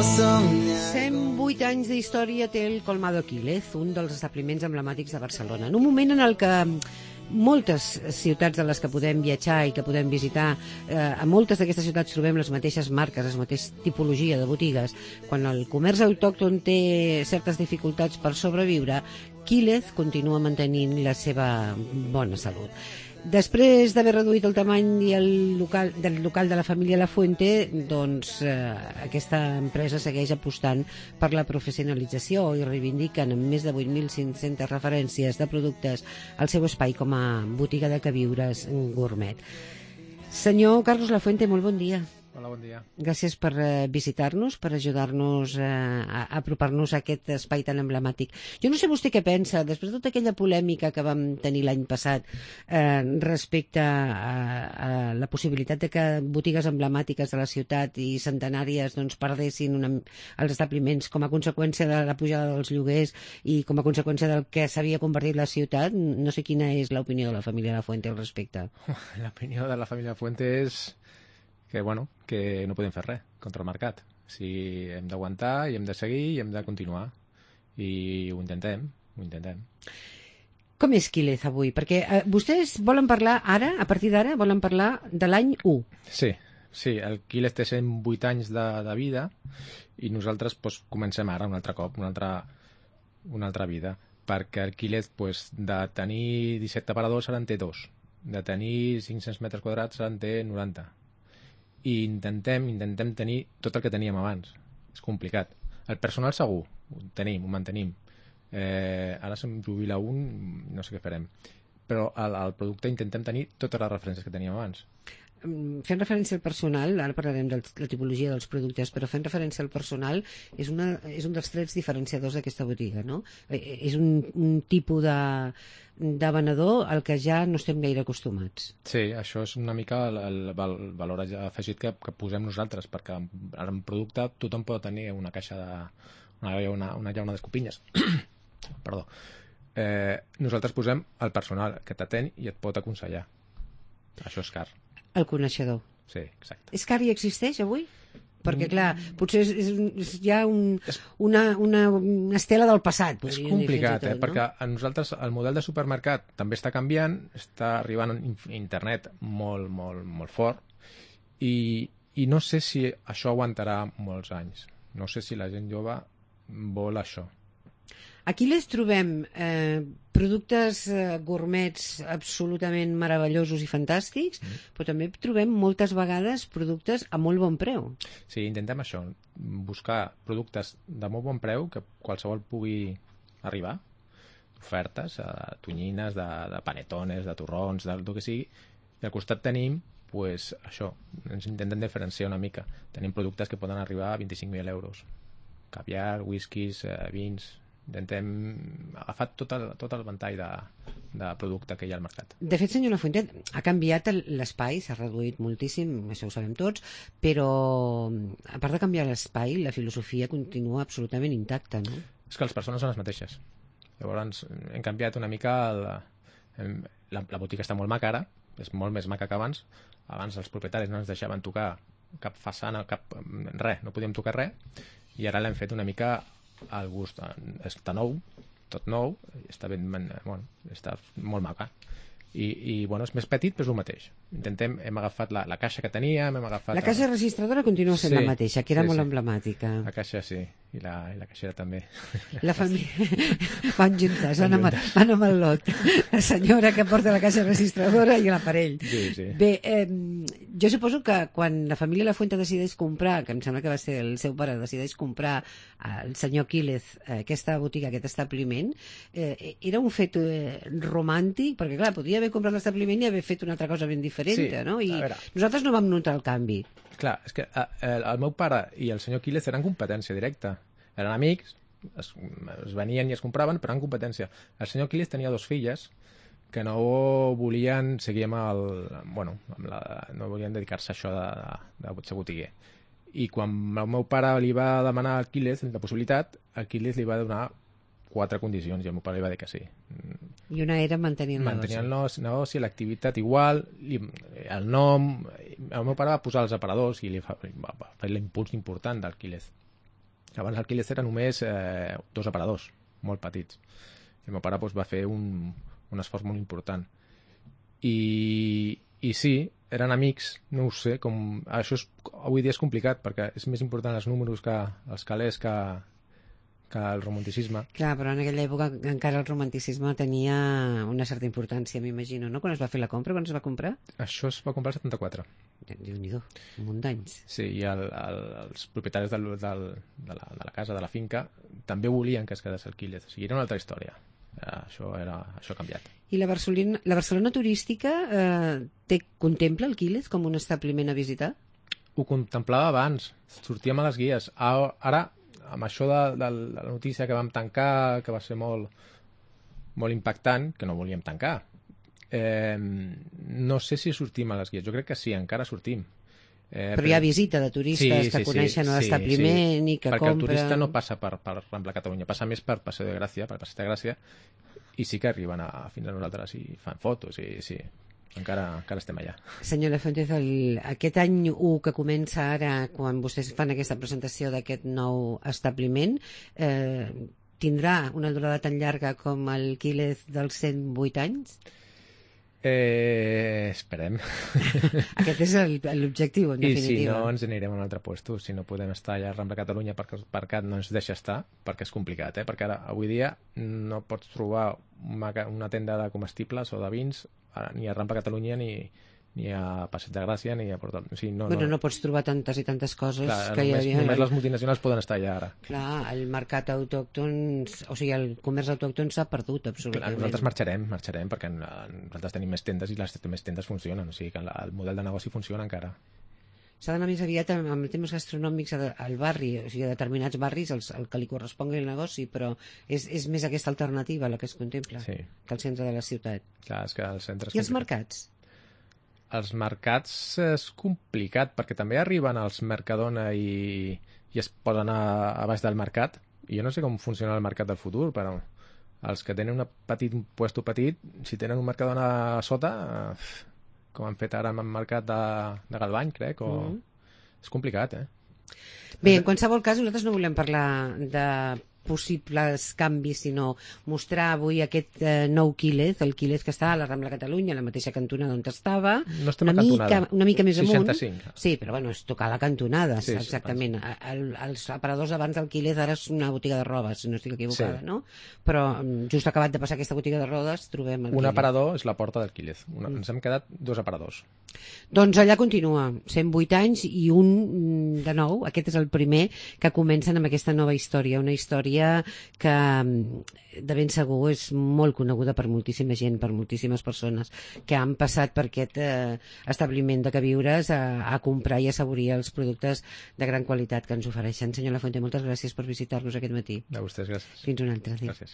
108 anys d'història té el Colmado Quílez, un dels establiments emblemàtics de Barcelona. En un moment en el que moltes ciutats de les que podem viatjar i que podem visitar, a moltes d'aquestes ciutats trobem les mateixes marques, la mateixa tipologia de botigues. Quan el comerç autòcton té certes dificultats per sobreviure, Quílez continua mantenint la seva bona salut. Després d'haver reduït el tamany del local de la família La Fuente, doncs aquesta empresa segueix apostant per la professionalització i reivindiquen amb més de 8.500 referències de productes al seu espai com a botiga de queviures gourmet. Senyor Carlos La Fuente, molt bon dia. Hola, bon dia. Gràcies per visitar-nos, per ajudar-nos a apropar-nos a aquest espai tan emblemàtic. Jo no sé vostè què pensa, després de tota aquella polèmica que vam tenir l'any passat respecte a la possibilitat de que botigues emblemàtiques de la ciutat i centenàries doncs, perdessin els establiments com a conseqüència de la pujada dels lloguers i com a conseqüència del que s'havia convertit la ciutat. No sé quina és l'opinió de la família La Fuente al respecte. L'opinió de la família La Fuente és que no podem fer res contra el mercat. Si hem d'aguantar i hem de seguir i hem de continuar. I ho intentem. Com és Quílez avui? Perquè vostès volen parlar ara, a partir d'ara, volen parlar de l'any 1. Sí, el Quílez té 108 anys de vida i nosaltres comencem ara un altre cop, una altra vida. Perquè el Quílez, de tenir 17 aparadors, ara en té 2. De tenir 500 metres quadrats, ara en té 90. I intentem tenir tot el que teníem abans. És complicat. El personal segur, ho mantenim. Ara se'm jubila un, no sé què farem. Però al producte intentem tenir totes les referències que teníem abans. Fent referència al personal, ara parlarem de la tipologia dels productes, però fent referència al personal és un dels trets diferenciadors d'aquesta botiga, no? És un tipus de venedor al que ja no estem gaire acostumats. Sí, això és una mica el valor afegit que posem nosaltres, perquè en producte tothom pot tenir una caixa una llauna d'escopinyes. Perdó. Nosaltres posem el personal que t'atén i et pot aconsellar. Això és car. El coneixedor. Sí, exacte. És car i existeix avui? Perquè, clar, potser és ja una estela del passat. És complicat, perquè a nosaltres el model de supermercat també està canviant, està arribant a internet molt, molt, molt fort, i no sé si això aguantarà molts anys. No sé si la gent jove vol això. Aquí les trobem productes gourmets absolutament meravellosos i fantàstics, però també trobem moltes vegades productes a molt bon preu. Sí, intentem això, buscar productes de molt bon preu que qualsevol pugui arribar, ofertes, tonyines, de panetones, de torrons, del que sigui, i al costat tenim, això, ens intentem diferenciar una mica. Tenim productes que poden arribar a 25.000 euros. Caviar, whiskies, vins. Intentem agafar tot el ventall de producte que hi ha al mercat. De fet, senyor Lafuente, ha canviat l'espai, s'ha reduït moltíssim, això ho sabem tots, però a part de canviar l'espai, la filosofia continua absolutament intacta, no? És que les persones són les mateixes. Llavors hem canviat una mica, la botiga està molt maca ara, és molt més maca que abans. Abans els propietaris no ens deixaven tocar cap façana, res, no podíem tocar res, i ara l'hem fet una mica al gust. Està nou, tot nou, està molt maca. I és més petit, però és el mateix. Hem agafat la caixa que teníem, La caixa registradora continua sent la mateixa, que era molt emblemàtica. La caixa sí, i la caixera també. La família van juntes, van amb el lot. La senyora que porta la caixa registradora i l'aparell. Sí. Bé, jo suposo que quan la família La Fuente decideix comprar, que em sembla que va ser el seu pare, decideix comprar el senyor Quílez aquesta botiga, aquest establiment, era un fet romàntic, perquè clar, podia haver comprat l'establiment i haver fet una altra cosa ben diferent, sí, no? I nosaltres no vam notar el canvi. Clar, és que el meu pare i el senyor Quílez eren competència directa. Eren amics, es venien i es compraven, però eren competència. El senyor Quílez tenia 2 filles que no volien seguir no volien dedicar-se a això de ser botiguer. I quan el meu pare li va demanar al Quílez la possibilitat, el Quílez li va donar 4 condicions i el meu pare li va dir que sí. I una era mantenir el negoci, l'activitat igual, el nom. El meu pare va posar els aparadors i va fer l'impuls important del Quílez. Abans el Quílez era només 2 aparadors, molt petits. I el meu pare va fer un esforç molt important. I sí, eren amics, no ho sé, això avui dia és complicat, perquè és més important els números que els calés que el romanticisme. Clar, però en aquella època encara el romanticisme tenia una certa importància, m'imagino, no? Quan es va fer la compra, quan es va comprar? Això es va comprar el 74. Déu-n'hi-do, un munt d'anys. Sí, i els propietaris de la casa, de la finca, també volien que es quedés el Quílez. O sigui, era una altra història. Això ha canviat. I la Barcelona turística contempla el Quílez com un establiment a visitar? Ho contemplava abans, sortíem a les guies. Ara, amb això de la notícia que vam tancar, que va ser molt, molt impactant, que no volíem tancar, no sé si sortim a les guies. Jo crec que sí, encara sortim. Però hi ha visita de turistes que coneixen l'establiment i que perquè compren... el turista no passa per Rambla Catalunya, passa més per Passeig de Gràcia, per Passeig de Gràcia, i sí que arriben fins a nosaltres i fan fotos, i sí, encara estem allà. Senyora Fuentes, aquest any 1 que comença ara, quan vostès fan aquesta presentació d'aquest nou establiment, tindrà una durada tan llarga com el Quílez dels 108 anys? Esperem. Aquest és l'objectiu, en definitiva. I si no, ens anirem a un altre lloc. Si no podem estar allà a Rambla Catalunya perquè el mercat no ens deixa estar, perquè és complicat, perquè ara, avui dia, no pots trobar una tenda de comestibles o de vins ni a Rambla Catalunya ni a Passeig de Gràcia ni a Portal. O sigui, no pots trobar tantes i tantes coses. Clar, que només les multinacionals poden estar allà ara. Clar, el mercat autòcton, o sigui, el comerç autòcton s'ha perdut absolutament. Clar, nosaltres marxarem perquè nosaltres tenim més tendes i les més tendes funcionen, o sigui que el model de negoci funciona encara. S'ha d'anar més aviat amb temes gastronòmics al barri, o sigui, a determinats barris el que li correspongui el negoci, però és més aquesta alternativa la que es contempla que el centre de la ciutat. Clar, és que el centre és I els mercats? Els mercats és complicat, perquè també arriben als Mercadona i es poden anar a baix del mercat. I jo no sé com funciona el mercat del futur, però els que tenen un puesto petit, si tenen un Mercadona a sota, com han fet ara amb el mercat de Galvany, crec, és complicat, Bé, en qualsevol cas, nosaltres no volem parlar de possibles canvis, sinó mostrar avui aquest nou Quílez, el Quílez que està a la Rambla Catalunya, a la mateixa cantonada on estava, no estem a cantonada. Una mica més 65. amunt. Sí, però bueno, és tocar la cantonada, sí, exactament. Els aparadors abans del Quílez ara és una botiga de roba, si no estic equivocada, no? Però just acabat de passar aquesta botiga de rodes trobem el Quílez. Un aparador és la porta del Quílez. Ens hem quedat 2 aparadors. Doncs allà continua, 108 anys i un de nou, aquest és el primer que comencen amb aquesta nova història, una història que de ben segur és molt coneguda per moltíssima gent, per moltíssimes persones que han passat per aquest establiment de queviures a comprar i a saborir els productes de gran qualitat que ens ofereixen. Senyor Lafuente, moltes gràcies per visitar-nos aquest matí. A vostès, gràcies. Fins un altre dia. Gràcies.